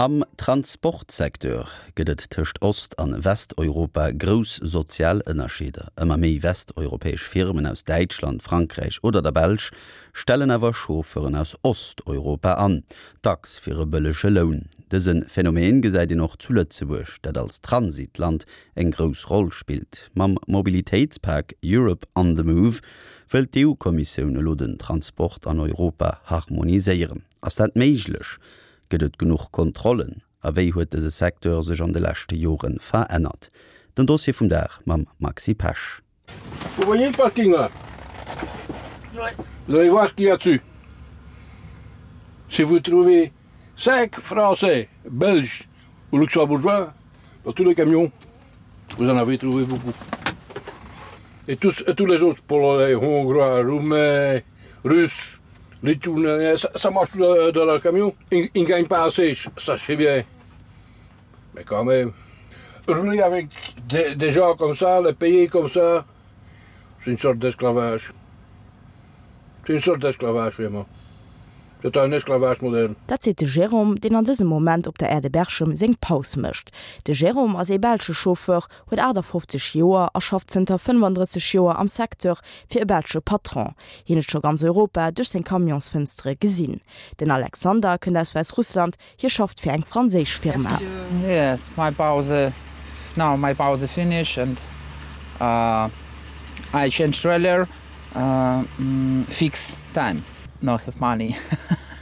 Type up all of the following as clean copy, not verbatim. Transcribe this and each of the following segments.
Am Transportsecteur gëtt et tëscht Ost an Westeuropa grouss sozial Ënnerscheeder. Ëmmer méi westeuropäesch Firmen aus Däitschland, Frankräich oder der Belsch stellen awer Chauffeuren aus Osteuropa an, dacks fir e bëllege Loun. Dëse Phänomen gesäit een och zu Lëtzebuerg, dat als Transitland eng grouss Roll spillt. Mam Mobilitéitspak Europe on the Move wëllt d'EU-Kommissioun elo den Transport an Europa harmoniséieren. Ass dat méiglech? Gëtt et genuch Kontrollen? A wéi huet dëse Secteur sech an de leschte Jore verännert? Den Dossier vum Dag mam Maxi Pesch. Vous voyez le parking là? Vous allez voir ce qu'il y a dessus. Si vous trouvez 5 Français, Belges ou Luxembourgeois dans tous les camions, vous en avez trouvé beaucoup. Et tous, et tous les autres, Polonais, Hongrois, Roumains, Russes, Lituaniens, ça, ça marche tout dans, dans le camion. Ils, ils ne gagnent pas assez, ça c'est bien. Mais quand même, rouler avec des, des gens comme ça, les payer comme ça, c'est une sorte d'esclavage. C'est une sorte d'esclavage vraiment. C'est un esclavage moderne. Dat seet de Jérôme, deen an dësem Moment op der Aire de Berchem seng Paus mécht. De Jérôme ass ee belsche Chauffeur, huet 58 Joer a schafft zënter 35 Joer am Secteur fir e belsche Patron. Hien huet scho ganz Europa duerch seng Camionsfënstere gesinn. Den Alexander kënnt aus Wäissrussland, Hie schafft fir eng franséisch Firma. Yes, my Pause, now my Pause finish and I change trailer fix time, no have money,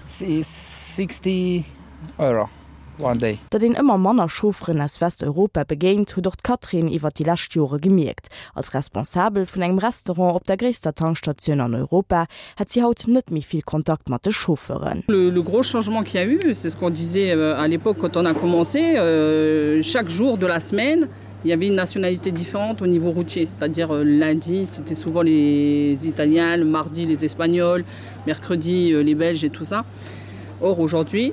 60 Euro one day. Datt een ëmmer manner Chaufferen aus Westeuropa begéint, huet och d'Catherine iwwer déi lescht Jore gemierkt. Als Responsabel vun engem Restaurant op der gréisster Tankstatioun an Europa hätt si haut net méi vill Kontakt mat de Chauffeuren. Le gros changement qu'il y a eu, c'est ce qu'on disait à l'époque quand on a commencé, chaque jour de la semaine, il y avait une nationalité différente au niveau routier, c'est-à-dire lundi c'était souvent les Italiens, le mardi les Espagnols, mercredi les Belges et tout ça. Or aujourd'hui,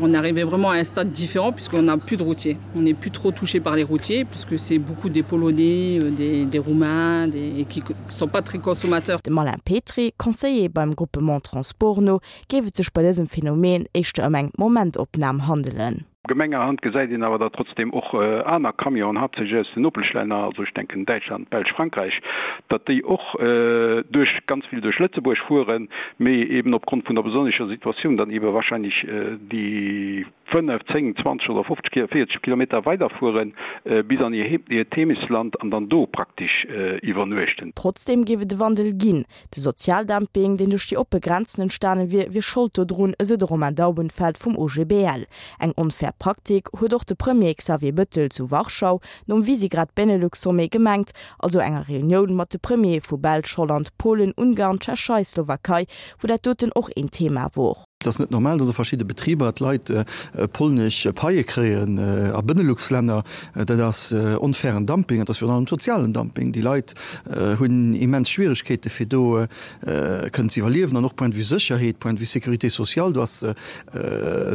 on arrivait vraiment à un stade différent puisqu'on n'a plus de routiers. On n'est plus trop touché par les routiers puisque c'est beaucoup des Polonais, des, des Roumains des, qui ne sont pas très consommateurs. Dem Alain Petry, Conseiller beim Groupement Transport no, géif et sech bei dësem Phänomen éischter ëm eng Momentopnam handelen. Gemengerhand gesäit een awer, datt trotzdeem och aner Camionen, haaptsächlech aus den Nopeschlänner, also ech denken Däitschland, Belsch, Frankräich, datt déi och duerch, ganz vill duerch Lëtzebuerg fueren, mee eeben opgrond vun der besonnescher Situatioun dann eebe wahrscheinlech déi 5, 10, 20 oder 50, 40 Kilometer weiderfuere bis an hiert Heemechtsland an dann do praktesch iwwernuechten. Trotzdeem géif et e Wandel ginn. De Sozialdumping, deen duerch déi oppe Grenzen entstane wier, wier Schold dodrun, esou de Romain Daubenfeld vum OGBL. Eng onfair Praktik huet och de Premier Xavier Bëttel zu Warschau nom Visegrad-Benelux-Sommet gemengt, also enger Reunioun mat de Premiere vu Belsch, Holland, Polen, Ungarn, Tschechei, Slowakei, wou dat doten och een Thema wor. Et ass net normal, datt a verschidde Betriber d'Leit polnesch Paie kréien a Benelux-Länner. Dat ass onfairen Dumping, et ass virun allem sozialen Dumping. Déi Leit hunn immens Schwieregkeete fir do kënnen ze iwwerliewen an och point de vue Sécherheet, point de vue Sécurité sociale, do ass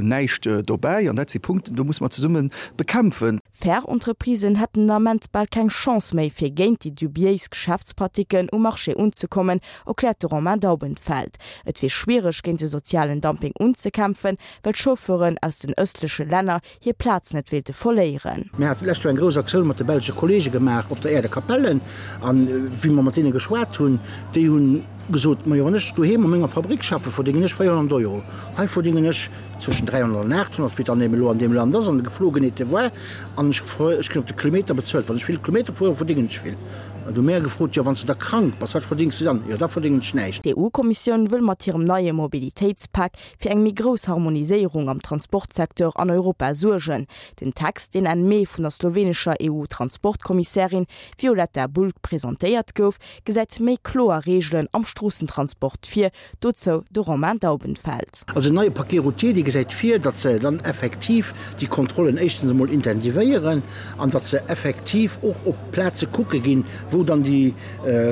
näischt dobäi. An dat si Punkten, do musse mer zesumme bekämpfen. Fair Entreprisen hätten den Ament bal keng Chance méi, fir géint déi dubiéis Geschäftspratiken um Marché unzekommen, erkläert de Romain Daubenfeld. Et wier schwiereg, géint de sozialen Dumping unzekämpfen, well d'Chauffeuren aus den ëstleche Länner hir Plaz net wéilte verléieren. Mir haten d'lescht Joer eng grouss Aktioun mat de belsche Kollege gemaach op der Aire de Capellen. An wéi mer mat deene geschwat hunn, déi hunn gesot, Majo, wann ech doheem a menger Fabrick schaffen, verdéngen ech 400 Euro. Hei verdéngen ech Zwëschen 300 an 800, wéi et dann eben elo an deem Land ass, an de Geflogenheete war. An ech ech ginn op de Kilometer bezuelt. Wann ech vill Kilometer fueren, verdéngen ech vill. An du hu mär gefrot, Jo, wann s de da krank bass, wat verdéngs de dann? Jo, da verdéngen ech näischt. D'EU-Kommissioun wëll mat hirem neie Mobilitéitspak fir eng méi grouss Harmoniséierung am Transportsecteur an Europa suergen. Den Text, deen Enn Mee vun der slowenescher EU-Transportkommissärin Violeta Bulc presentéiert gouf, gesäit méi kloer Reegelen am Stroossentransport vir, Dozou de Romain Daubenfeld. Also den neie Paquet routier, dee gesäit vir, datt se dann effektiv déi Kontrollen éischtens emol intensivéieren an datt se effektiv och op Plaze kucke ginn, wou dann déi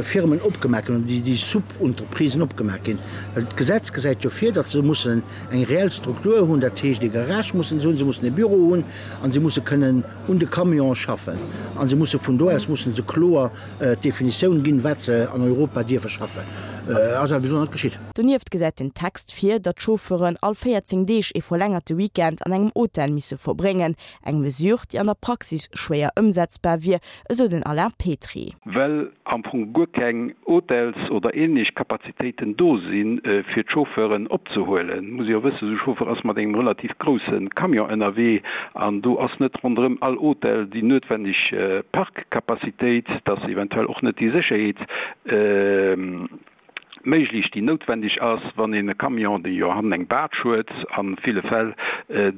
Firmen opgemaach ginn oder déi Subentreprisen opgemaach ginn. Well d'Gesetz gesäit jo vir, datt se mussen eng reell Struktur hunn, dat heescht ee Garage mussen se hunn, se mussen e Büro hunn a se musse kënnen un de Camione schaffen a se musse vun do aus musse se kloer d'Definitioun ginn, wat se an Europa dierfe schaffen. Ass awer bis elo net geschitt. Donieft gesäit den Text vir, datt d'Chauffeuren all 14 Deeg ee verlängerte Weekend an engem Hotel misse verbréngen. Eng Mesure, déi an der Praxis schwéier ëmsetzbar wier, esou den Alain Petry. Well am Fong guer keng Hotels oder ähnlech Kapazitéiten do sinn, fir d'Chauffeuren opzehuelen. Muss ee jo wëssen, esou e Chauffeur ass mat engem relativ grousse Camion ënnerwee an do ass net ronderëm all Hotel déi noutwenneg Parkcapacitéit, dass eventuell och net déi Sécherheet méiglech, déi noutwendeg ass, wann een e Camion, dee jo hannen eng Baatsch huet, a ville Fäll,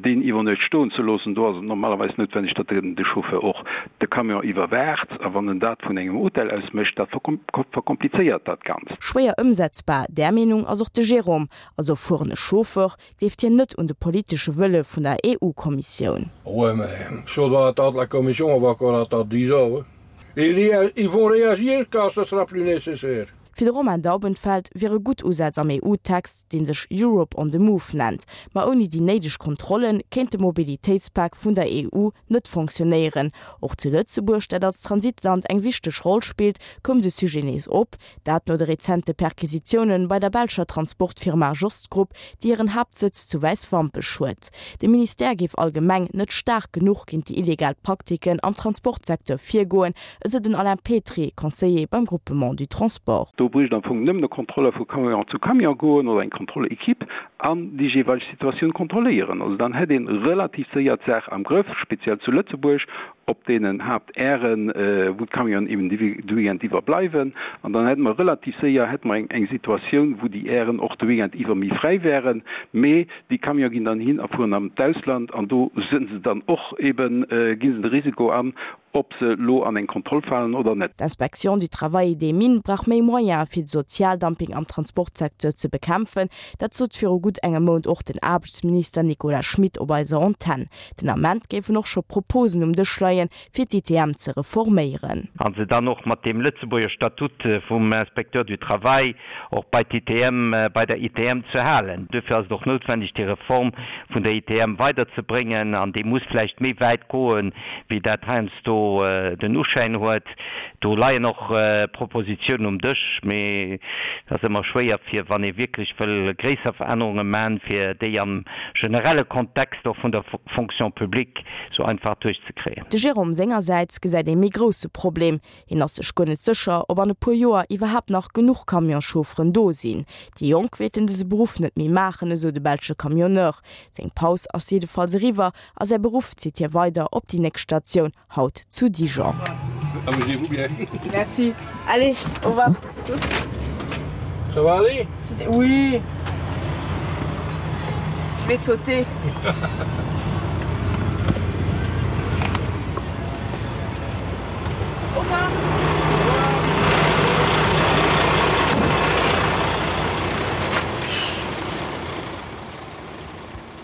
deen iwwer Nuecht stoen ze loossen. Do ass et normalerweis noutwendeg, datt de Chauffeur och de Camion iwwerwaacht. A wann en dat vun engem Hotel aus mécht, dat verkomplizéiert dat Ganzt. Schwéier ëmsetzbar, där Meenung ass och de Jérôme. Als erfuerene Chauffeur gleeft hien net un de politesche Wëlle vun der EU-Kommissioun. Ouais, mais si on doit attendre la Commission, on va encore attendre dix ans. Ils vont réagir quand ce sera plus nécessaire. Fir de Romain Daubenfeld wiere gutt Usätz am EU-Text, dee sech Europe on the Move nennt. Ma ouni déi néideg Kontrolle kéint de Mobilitéitspak vun der EU net fonctionnéieren. Och zu Lëtzebuerg, dat als Transitland eng wichteg Roll spillt, koum de Sujet nees op. Dat no de rezente Perquisitioune bei der belscher Transportfirma Jost Group, déi hiren Haaptsëtz zu Wäiswampech huet. De Ministère géif allgemeng net staark genuch géint déi illegal Praktiken am Transportsecteur virgoen, esou den Alain Petry, Conseiller beim Groupement du Transport. Do bréicht am Fong nëmmen e Kontrolleur vu Camion zu Camion goen oder eng Kontrollequipe an déi jeeweileg Situatioun kontrolléieren. Also dann hätt ee relativ séier d'Saach am Grëff, speziell zu Lëtzebuerg op deenen Haaptairen, wou d'Camionen eben de Weekend iwwer bleiwen. An dann hätte mer relativ séier hätte mer eng Situatioun, wou déi Airen och de Weekend iwwer méi fräi wären. Mee déi Camione ginn dann hin a fueren an d'Ausland an do si se dann och eben, gi se de Risiko an, ob se elo an eng Kontroll falen oder net. D'Inspection du Travail et des Mines brauch méi Moyene fir de Sozialdumping am Transportsecteur ze bekämpfen. Dat sot viru gutt engem Mount och den Aarbechtsminister Nicolas Schmit op eiser Antenn. Den Ament géifen och scho Proposen um Dësch leien, fir d'ITM ze reforméieren. A se dann och mat deem Lëtzebuerger Statut vum Inspecteur du Travail och bei d'ITM, bei der ITM ze halen. Duerfir ass et och noutwendeg, déi Reform vun der ITM weiderzebréngen, an déi muss vläicht méi wäit goen, wéi dat heiansdo den Uschäin huet. Do leien och Propositionen um Dësch, mee et ass ëmmer schwéier, fir, wann ee wierklech wëll gréisser Verännerunge man, fir déi am generelle Kontext och vun der Fonction publique sou einfach duerchzekréien. De Jérôme sengersäits gesäit ee méi grousse Problem, Hien ass sech guer net sécher, ob an e puer Joer iwwerhaapt nach genuch Camionschaufferen do sinn. Déi Jonk wéilten dëse Beruff net méi maachen, esou de belsche Camionneur. Seng Paus ass jiddefalls eriwwer a säi Beruff zitt hie weider op déi nächst Statioun, haut zu Dijon. Amusez-vous bien. Merci. Allez, au revoir. Ça va aller? Oui. Je vais sauter.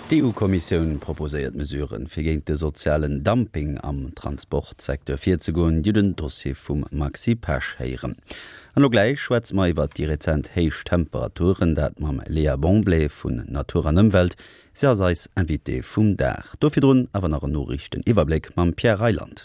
D'EU-Kommissioun proposéiert Mesuren, fir géint de sozialen Dumping am Transportsecteur virzegoen. Dir hutt en Dossier vum Maxi Pesch héieren. An elo gläich schwätze mer iwwert déi rezent héich Temperaturen, dat mam Léa Bonblé vun Natur an Ëmwelt. Si ass eis Invitée vum Dag. Do virdrun awer nach en Noriichteniwwerbléck mam Pierre Reyland.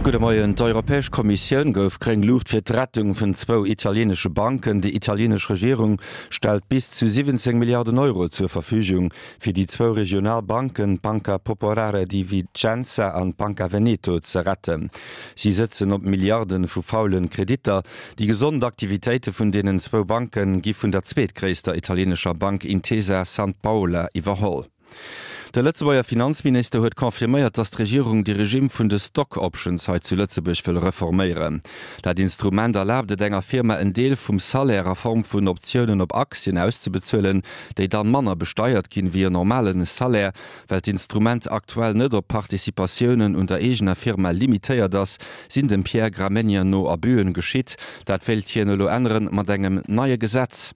Gudde Moien. D'Europäesch Kommissioun gouf gréng Luucht fir d'Rettung vun zwou italieenesche Banken. Déi italieenesch Regierung stellt bis zu 17 Milliarden Euro zur Verfügung, fir déi zwou regional Banken, d'Banca Popolare di Vicenza an d'Banca Veneto, ze retten. Si sëtzen op Milliarde vu faulen Kreditter. Déi gesond Aktivitéite vun deenen zwou Banke gi vun der zweetgréisster italienescher Bank Intesa Sanpaola iwwerholl. De Lëtzebuerger Finanzminister huet confirméiert, datt d'Regierung de Regimm vun de Stock Options hei zu Lëtzebuerg wëll reforméieren. Dat Instrument erlaabt et enger Firma en Deel vum Salaire a Form vun Optiounen op Aktien auszebezuelen, déi dann manner besteiert ginn wéi en normale Salaire. Well d'Instrument aktuell net op Participatiounen un der eegener Firma limitéiert ass, sinn dem Pierre Gramegna no Abüen geschitt. Dat wéilt hien elo änneren, mat engem neie Gesetz.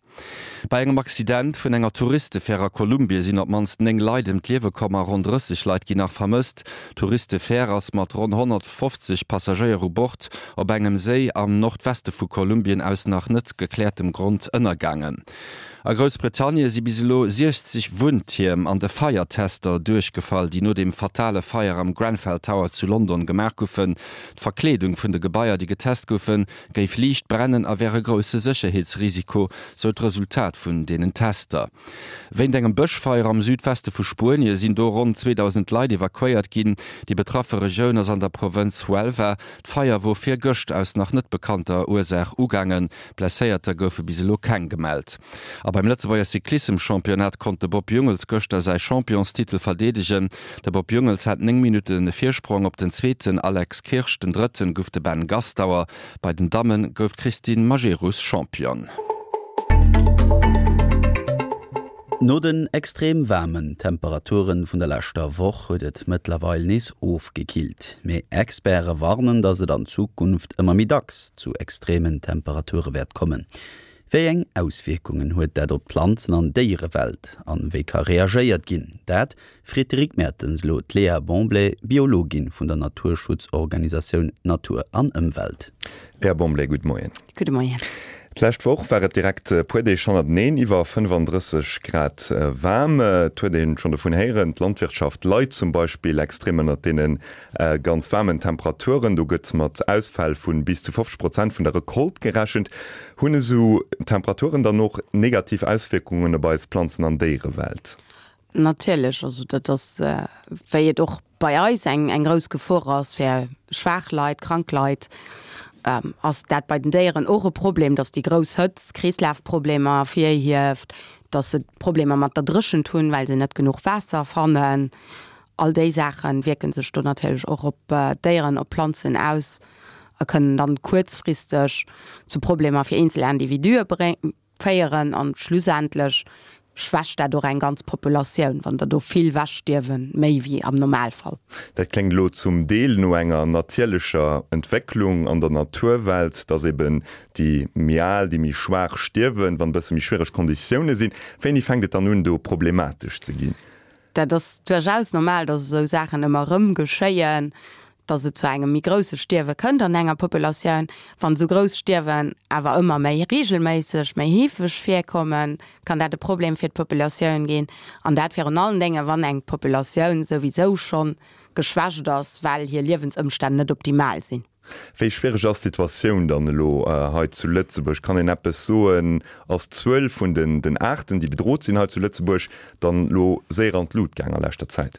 Bei engem Accident vun enger Touristefär a Kolumbie sinn op d'mannst 9 Leit ëm d'Liewe komm a ronn 30 Leit ginn nach vermësst. D'Touristefär ass mat ronn 150 Passagéier u Bord op engem Séi am Nordweste vu Kolumbien aus nach net gekläertem Grond ënnergaangen. A Groussbritannie si bis elo 60 Wunntierm an de Feiertester duerchgefall, déi no dem fatale Feier am Grenfell Tower zu London gemaach goufen. D'Verkleedung vun de Gebaier, déi getest goufen, géif liicht brennen a wär e grousse Sécherheetsrisiko, sou d'Resultat vun deenen Tester. Wéint engem Bëschfeier am Südweste vu Spuenie sinn do ronn 2.000 Leit evakuéiert ginn. Déi betraffe Regioun ass an der Provënz Huelva. D'Feier wor virgëscht aus nach net bekannter Ursaach ugaangen. Blesséierter goufe bis elo keng gemellt. A beim Lëtzebuerger Cyclissem-Championnat konnt de Bob Jungels gëschter säi Championstitel verdeedegen. De Bob Jungels hat 9 Minutte Virsprong op den zweeten Alex Kirsch, den drëtten gouf de Ben Gastauer. Bei den Damme gouf d'Christine Majerus Championne. No den extrem waarmen Temperaturen vun der leschter Woch huet et mëttlerweil nees ofgekillt. Mee Experte warnen, dass et an Zukunft ëmmer méi dacks zu extremen Temperature wäert kommen. Wéi eng Auswierkungen huet dat op d'Planzen an Déierewelt an wéi ka reagéiert ginn? Dat freet de Rick Mertens elo d'Léa Bonblet, Biologin vun der Naturschutzorganisatioun Natur an Ëmwelt. Léa Bonblet, gudde Moien. Gudde Moien. D'lescht Woch war et direkt e puer Deeg hannerteneen iwwer 35 Grad waarm. Et huet een schonn dovun héieren, d'Landwirtschaft leit zum Beispill extrem ënnert deene ganz waarmen Temperaturen. Do gëtt mat Ausfäll vu bis zu 50 Prozent vun der Recolte gerechent. Hunn esou Temperaturen dann och negativ Auswierkungen op eis Planzen an Déierewelt? Natierlech, also dat ass, wéi et och bei eis eng eng grouss Gefor ass fir schwaach Leit, krank Leit, ass dat bei den Déieren och e Problem, datt déi grouss Hëtzt Kreeslafproblemer ervirhieft, datt se Problemer mat der Dréchent hunn, well se net genuch Waasser fannen. All déi Saache wierke sech do natierlech och op d'Déieren, op d'Planzen aus a kënnen dann kuerzfristeg zu Problemer fir eenzel Individue féieren. An schlussendlech schwächt dat och eng ganz Populatioun, wann der do vill wechstierwen, méi wéi am Normalfall. Dat kléngt elo zum Deel no enger natierlecher Entwécklung an der Naturwelt, dass eben déi méi al, déi méi schwaach stierwen, wann e bësse méi schwiereg Konditioune sinn. Wéini fänkt et dann un, do problematesch ze ginn? Dat ass duerchaus normal, datt esou Saachen ëmmer erëm geschéien, datt et zu engem méi grousse Stierwe kënnt an enger Populatioun. Wann esou grouss Stierwen awer ëmmer méi reegelméisseg, méi heefeg virkommen, kann dat e Problem fir d'Populatioun ginn. An dat virun allen Dénge wann eng Populatioun souwisou schonn geschwächt ass, well hir Liewensëmstänn net optimal sinn. Wéi schwiereg ass d'Situatioun dann elo hei zu Lëtzebuerg? Kann een eppes soen? Ass d'Zuel vun den Aarten, déi bedrot sinn hei zu Lëtzebuerg, dann elo séier an d'Lut gaang a leschter Zäit?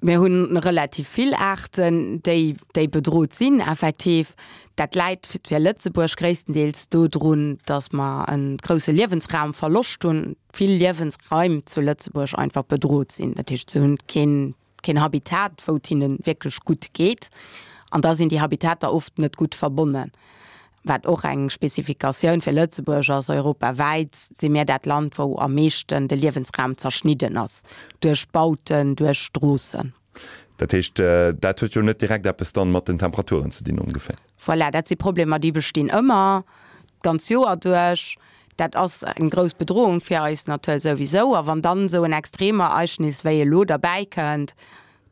Mir hu relativ vill Aarten, déi déi bedrot sinn, effektiv. Dat läit fir Lëtzebuerg gréisstendeels dodrun, datt mer e grousse Liewensraumverloscht hunn, vill Liewensraim zu Lëtzebuerg einfach bedrot sinn. Dat heescht, se hunn keen keen Habitat, wou et hinne wierklech gutt geet. An da sinn déi Habitater oft net gutt verbonnen, wat och eng Spezifikatioun fir Lëtzebuerg ass. Europawäit si mir dat Land, wou am meeschten de Liewensraum zerschnidden ass duerch Bauten, duerch Stroossen. Dat heescht, dat huet jo net direkt eppes dann mat den Temperaturen ze dinn ongeféier? Voilà, dat si Problemer, déi bestinn ëmmer, d'ganz Joer duerch. Dat ass eng grouss Bedrohung fir eis Natur souwisou. A wann dann esou en Extremereignis wéi elo derbäi kënnt,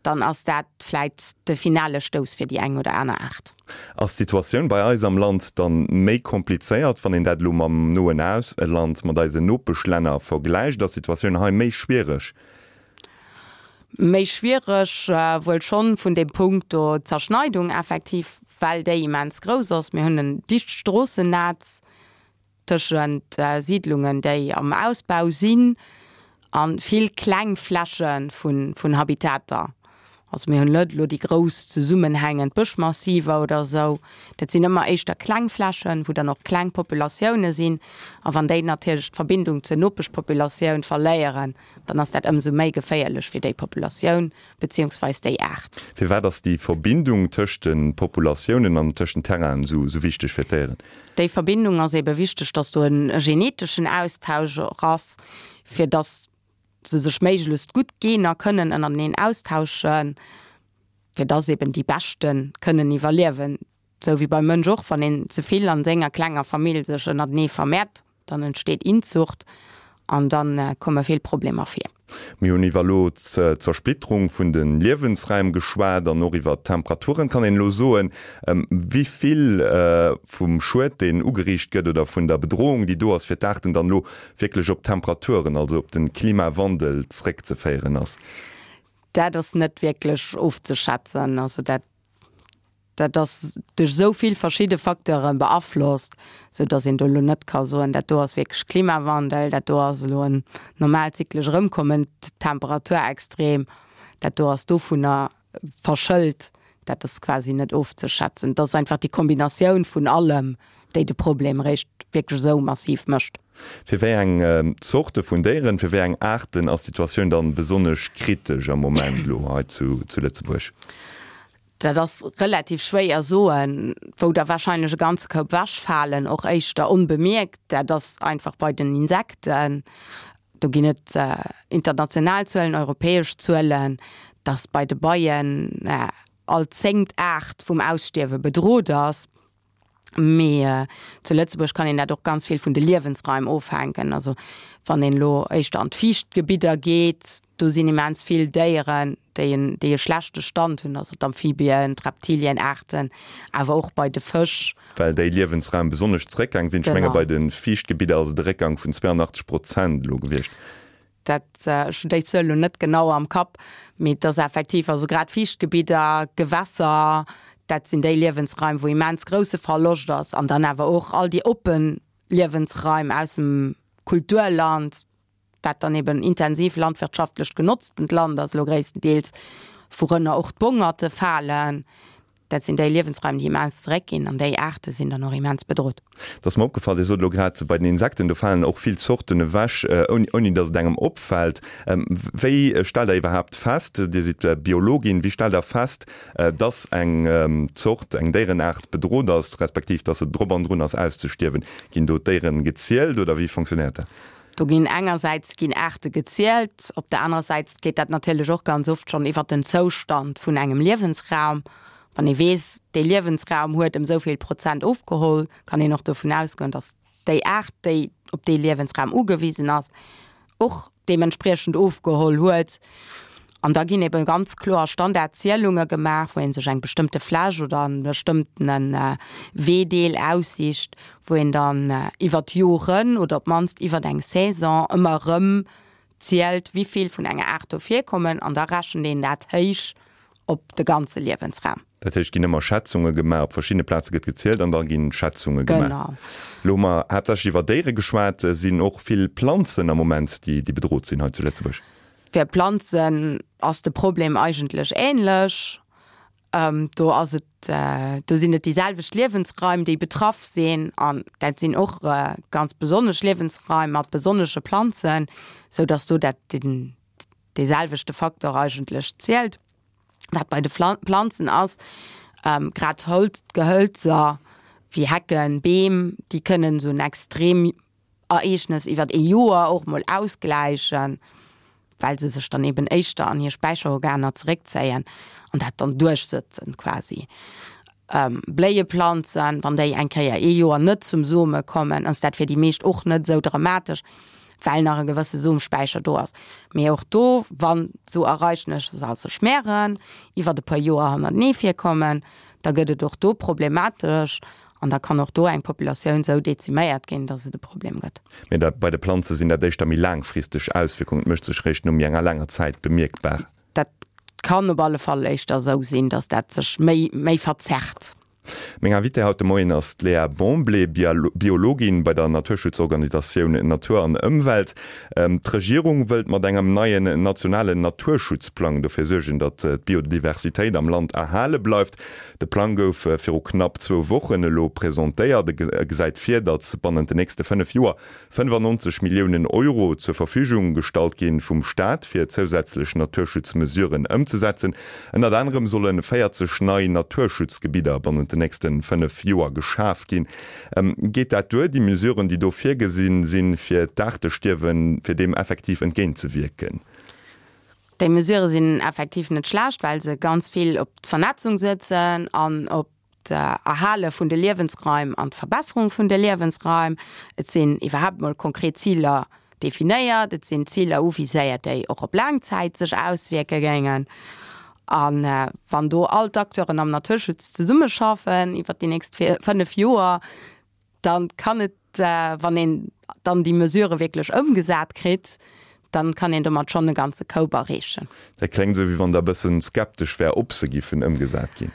dann ass dat vläit de finale Stouss fir déi eng oder aner Aart. Ass d'Situatioun bei eis am Land dann méi komplizéiert, wann een dat elo mam noen Ausland, mat eisen Nopeschlänner vergläicht? Ass d'Situatioun hei méi schwiereg? Méi schwiereg wuel schonn vun deem Punkt do, d'Zerschneidung effektiv, well déi immens grouss ass. Mir hunn en dicht Stroossennetz tëschent Siidlungen, déi am Ausbau sinn, a vill kleng Fläche vun Habitater. Also mir hunn net elo déi grouss zesummenhängend Bëschmassiver oder esou. Dat sinn ëmmer éischter kleng Flächen, wou dann och kleng Populatioune sinn. A wann déi natierlech d'Verbindung zur Nopeschpopulatioun verléieren, dann ass dat ëmsou méi geféierlech fir déi Populatioun beziehungsweis déi Aart. Firwat ass déi Verbindung tëscht de Populatiounen an tëscht den Terrainen esou wichteg fir d'Déieren? Déi Verbindung ass ebe wichteg, dass do e geneteschen Austausch och ass, fir dass se sech méiglechst gutt Gener kënnen ënnerteneen austauschen, fir dass eben déi Beschte kënnen iwwerliewen. Sou wéi beim Mënsch och, wann een ze vill an senger klenger Famill sech ënnertenee vermehrt. Dann entsteet Inzucht an da komme vill Problemer vir. Mir hunn iwwer elo d'Zersplitterung vun de Liewensräim geschwat an och iwwer d'Temperaturen. Kann een elo soen, wéi vill vum Schued, deen ugeriicht gëtt oder vun der Bedrohung, déi do ass fir d'Aarten, dann elo wierklech op d'Temperaturen, also op de Klimawandel zréckzeféieren ass? Dat ass net wierklech ofzeschätzen. Also dat Dat ass duerch esou vill verschidde Facteure beaflosst, sou datt een do elo net ka soen, dat do ass wierklech Klimawandel, dat do ass elo en normaalt zyklesch erëmkommend Temperaturextrem, dat do ass dovunner verschëlt. Dat ass quasi net ofzeschätzen. Et ass einfach déi Kombinatioun vun allem, déi de Problem eréischt wierklech esou massiv mécht. Fir wéi eng Zorte vun Déieren, fir wéi eng Aarten ass d'Situatioun dann besonnesch kritesch am Moment elo hei zu Lëtzebuerg? Dat ass relativ schwéier soen, wou der wahrscheinlech e ganze Koup wechfalen, och éischter onbemierkt. Dat ass einfach bei den Insekten. Do ginn et international Zuelen, europäesch Zuelen, dass bei de Beien all zéngt Aart vum Ausstierwe bedrot ass. Mee zu Lëtzebuerg kann een dat och ganz vill vun de Liewensraim ofhänken. Also wann een elo éischter an d'Fiichtgebidder geet, do sinn immens vill Déieren, déi en, déi e schlechte Stand hunn, also d'Amphibien, d'Reptilienaarten, awer och bei de Fësch. Well déi Liewensraim besonnesch zeréckgaang sinn. Ech menge bei de Fiichtgebidder ass et e Réckgang vun 82 Prozent elo gewiescht. Dat, ech hunn déi Zuel elo net genau am Kapp, mee et ass effektiv, also grad Fiichtgebidder, Gewässer, dat sinn déi Liewensraim, wou immens grousse Verloscht ass. An dann awer och all déi oppe Liewensraim aus dem Kulturland, wat dann eben intensiv landwirtschaftlecht genotztent Land ass elo gréisstendeels, wourënner och d'Bongerte falen. Dat sinn déi Liewensraim, déi immens zeréckginn an déi Aarte sinn dann och immens bedrot. Et ass mer opgefall, Dir sot elo grad, bei den Insekten, do falen och vill Zorten ewech, ouni datt et engem opfält. Wéi stellt Der iwwerhaapt fest, Dir sidd Biologin, wéi stellt Der fest, datt eng Zort, eng Déierenaart bedrot ass, respektiv datt se drop an drun ass auszestierwen? Ginn do d'Déieren gezielt oder wéi fonctionnéiert dat? Do ginn engersäits ginn Aarte gezielt, op der anerer Säit geet dat natierlech och ganz oft schonn iwwert den Zoustand vun engem Liewensraum. Wann ee weess, dee Liewensraum huet ëm esou vill Prozent ofgeholl, kann een och dovun ausgoen, datt déi Aart, déi op dee Liewensraum ugewisen ass, och deementspriechend ofgeholl huet. An da ginn ebe ganz kloer Standardzielunge gemaach, wou ee sech eng bestëmmte Fläch oder e bestëmmtene Weedeel aussicht, wou een dann iwwer d'Joren oder op d'mannst iwwer eng Saison ëmmer erëm zielt, wéi vill vun enger Aart do virkommen. An da rechent een dat héich op de ganze Liewensraum. Dat heescht, et ginn ëmmer Schätzunge gemaach, op verschiddene Plaze gëtt gezielt an da gi Schätzunge gemaach. Genau. Elo hu mer haaptsächlech iwwer Déiere geschwat. Sinn och vill Planzen am Moment, déi bedrot sinn hei zu Lëtzebuerg? Fir Planzen ass de Problem eigentlech änlech. Do ass et, do sinn et déi selwecht Liewensraim, déi betraff sinn an dat sinn och ganz besonnesch Liewensraim mat besonnesche Planzen, sou datt do dat den dee selwechte Faktor eigentlech zielt. Wat bei de Planzen ass, grad Holz, Gehölzer wéi Hecken, Beem, déi kënnen esou en extrem Ereegnes iwwert ee Joer och mol ausgläichen, well se sech dann eben éischter an hir Späicherorganer zeréckzéien an dat dann duerchsëtzen quasi. Bléieplanzen, wann déi eng Kéier ee Joer net zum Some kommen, ass dat fir déi meescht och net esou dramatesch, well nach e gewësse Somspäicher do ass. Mee och do, wann esou Ereignesser sech mehren, iwwert e puer Joer hannertenee virkommen, da gëtt et och do problematesch An da kann och do eng Populatioun esou deziméiert ginn, datt et e Problem gëtt. Mee da bei de Planze sinn dat éischter méi laangfristeg Auswierkungen, et mécht sech réischt no méi enger laanger Zäit bemierkbar. Dat kann op alle Fall éischter esou sinn, datt dat sech méi, méi verzerrt. Meng Invitée haut de Moien ass d'Léa Bomblé, Biologin bei der Naturschutzorganisatioun Natur an Ëmwelt. D'Regierung wëllt mat engem neien nationalen Naturschutzplang dofir suergen, datt d'Biodiversitéit am Land erhale bleift. De Plang gouf viru knapp zwou Wochen elo presentéiert. E gesäit vir, datt bannent den nächste 5 Joer 95 Milliounen Euro zur Verfügung gestallt gi vum Staat, fir zousätzlech Naturschutzmesuren ëmzesetzen. Ënnert anerem solle 40 nei Naturschutzgebidder bannent den nächste 5 Joer geschaf ginn. Geet dat duer, déi Mesuren, déi do virgesinn sinn, fir d'Aartestierwen, fir deem effektiv entgéintzewierken? Déi Mesurë sinn effektiv net schlecht, well se ganz vill op d'Vernetzung sëtzen an op. d'Erhale vun de Liewensraim an d'Verbesserung vun de Liewensraim. Et sinn iwwerhaapt mol konkret Ziler definéiert, et sinn Ziler uviséiert, déi och op laang Zäit sech auswierke géingen. A wann do all d'Acteuren am Naturschutz zesummeschaffen iwwert déi nächst 5 Joer, dann kann et, wann een dann déi Mesurë wierklech ëmgesat kritt, dann kann een domat schonn e ganze Koup erreechen. Dat kléngt esou, wéi wann Der e bëssen skeptesch wär, ob se giffen ëmgesat ginn.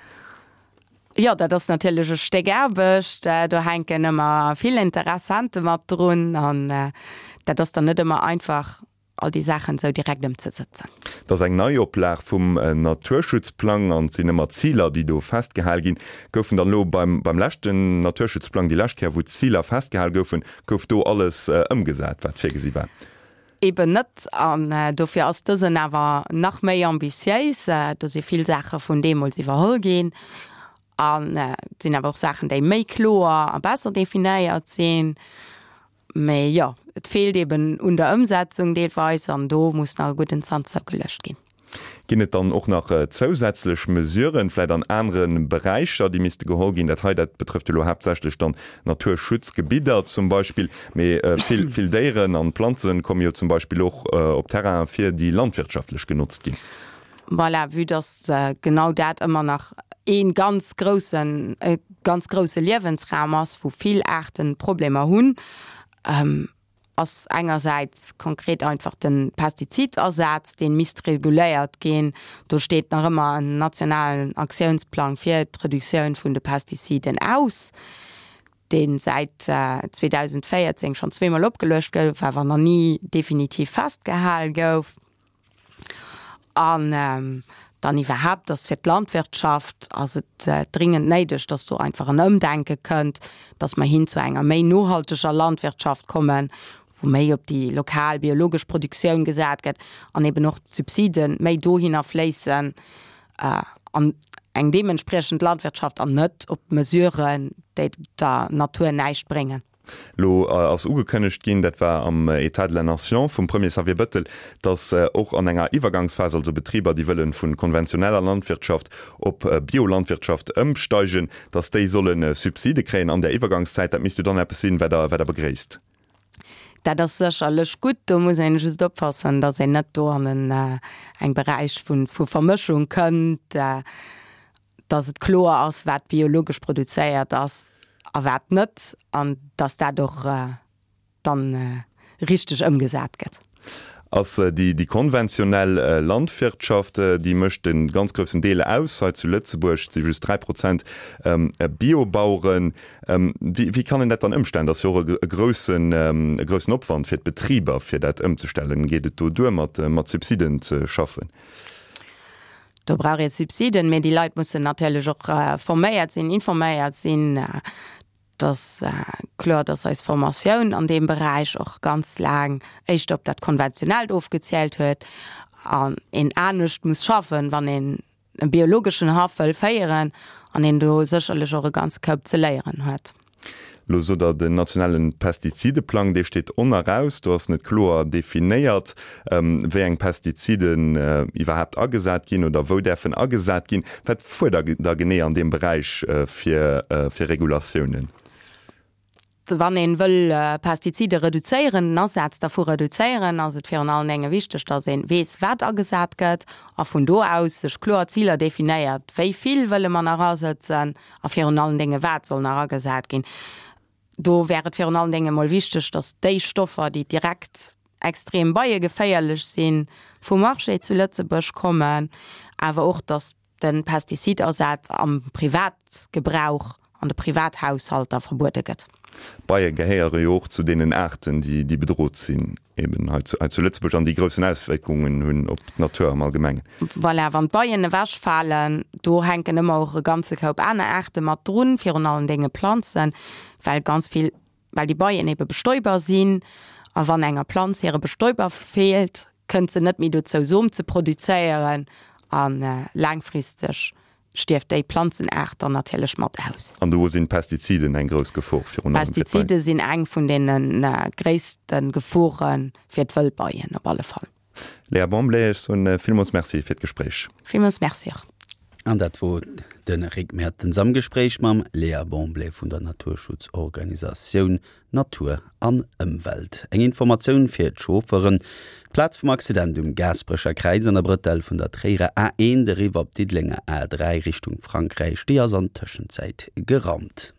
Jo, dat ass natierlech e Stéck Aarbecht. Do hänken ëmmer vill Interessente mat drun an dat ass dann net ëmmer einfach, all déi Saachen esou direkt ëmzesëtzen. Et ass eng Neioplag vum Naturschutzplang an et sinn ëmmer Ziler, déi do festgehal ginn. Goufen dann elo beim beim leschten Naturschutzplang, déi lescht Kéier wou d'Ziler festgehal goufen, gouf do alles ëmgesat, wat virgesi war? Eben net. An dofir ass dësen awer nach méi ambitiéis. Do si vill Saache vun deemools iwwerholl ginn. An et sinn awer och Saachen, déi méi kloer a besser definéiert sinn. Mee jo, et feelt eben un der Ëmsetzung deelweis an do muss nach e gudden Zant zougeluecht ginn. Ginn et dann och nach zousätzlech Mesuren, vläicht an anere Beräicher, déi misste geholl ginn? Dat hei, dat betrëfft jo elo haaptsächlech dann Naturschutzgebidder zum Beispill. Mee vill, vill Déieren an Planzen komme jo zum Beispill och op Terrainen vir, déi landwirtschaftlech genotzt ginn. Voilà, vue dass genau dat ëmmer nach ee ganz groussen, e ganz grousse Liewensraum ass, wou vill Aarten Problemer hunn, ass engersäits konkret einfach de Pestizidasaz, dee misst reguléiert ginn. Do steet nach ëmmer en nationalen Aktiounsplang fir d'Reduktioun vun de Pestiziden aus, dee säit 2014 schonn zweemol opgeluecht gouf, awer nach ni definitiv festgehal gouf. An dann iwwerhaapt ass fir d'Landwirtschaft ass et dringend néideg, dass do einfach en Ëmdenke kënnt, dass mer hin zu enger méi nohalteger Landwirtschaft kommen, wou méi op déi lokal biologesch Produktioun gesat gëtt an eben och d'Subside méi dohinner fléissen an eng deementspriechend Landwirtschaft an net op Mesuren, déi der Natur näischt bréngen. Elo ass ugekënnegt ginn, dat war am État de la Nation vum Premier Xavier Bëttel, datt och an enger Iwwergangsphas, also Betriber, déi wëlle vu konventioneller Landwirtschaft op Biolandwirtschaft ëmsteigen, datt déi solle Subside kréien an där Iwwergangszäit. Dat misst jo dann eppes sinn, wat Der, wat Der begréisst. Dat ass sécherlech gutt. Do muss een just oppassen, datt een net do an en eng Beräich vu Vermëschung kënnt. dass et kloer ass, wat biologesch produzéiert ass a wat net, an dass dat och dann richteg ëmgesat gëtt. Ass déi konventionell Landwirtschaft, déi mécht e ganz groussen Deel aus hei zu Lëtzebuerg, et si just 3 Prozent Biobaueren. Wéi kann een dat dann ëmstellen? Dat ass jo och e groussen Opwand fir d'Betriber, fir dat ëmzestellen. Geet et do duer, mat Subsiden ze schaffen? Do brauch ee Subsiden, mee déi Leit mussen natierlech och forméiert sinn, informéiert sinn. Et ass kloer, dass eis Formatioun an deem Beräich och ganz laang éischter op dat Konventionellt ofgezielt huet an een anescht muss schaffen, wann een e biologeschen Haff wëll féieren an een do sécherlech och e ganze Koup ze léieren huet. Elo sot Der, den nationale Pestizideplang, dee steet oneraus. Do ass net kloer definéiert, wéi eng Pestiziden iwwerhaapt agesat ginn oder wou däerfen agesat ginn. Wat fuerdert Der genee an deem Beräich fir Regulatiounen? Wann ee wëll Pestizide reduzéieren, den Asaz dervu reduzéieren, ass et virun allen Dénge wichteg, datt ee weess, wat agesat gëtt a vun do aus sech kloer Ziler definéiert, wéi vill wëlle mer nach asëtzen, A virun allen Dénge, wat soll nach agesat ginn? Do wär et virun allen Dénge mol wichteg, datt déi Stoffer, déi direkt extrem beiegeféierlech sinn, vum Marché zu Lëtzebuerg kommen, awer och, datt de Pestizidasaz am Privatgebrauch, an de Privathaushalter verbuede gëtt. D'Beie gehéiere jo och zu deenen Aarten, déi bedrot sinn. Eben hei zu, hei zu Lëtzebuerg an déi groussen Auswierkungen hunn op d'Natur am Allgemengen. Voilà, wann d'Beien ewechfalen, do hänken ëmmer och e ganze Koup aner Aarte mat drun, virun allen Dénge Planzen, well ganz vill, well déi Beien ebe Bestäuber sinn. A wann enger Planz hire Bestäuber feelt, kënnt se net méi dozou Som ze produzéieren a laangfristeg stierft déi Planzenaart dann natierlech mat aus. An do sinn d'Pestiziden eng grouss Gefor virun allem fir d'Beien? Pestizide sinn eng vun deene gréisste Gefore fir d'Wëllbeien op alle Fall. Léa Bomblé, ech soen villmools Merci fir d'Gespréich. Villmools Merci och. An dat wor. De Rick Mertens am Gespréich mam Léa Bomblé vun der Naturschutzorganisatioun Natur an Ëmwelt. Eng Informatioun fir d'Chaufferen, D'Plaz vum Accident um Gaasperecher Kräiz an der Brëtell vun der Tréierer A1 eriwwer op d'Diddelenger A3 Richtung Frankräich, déi ass an Tëschenzäit geraumt.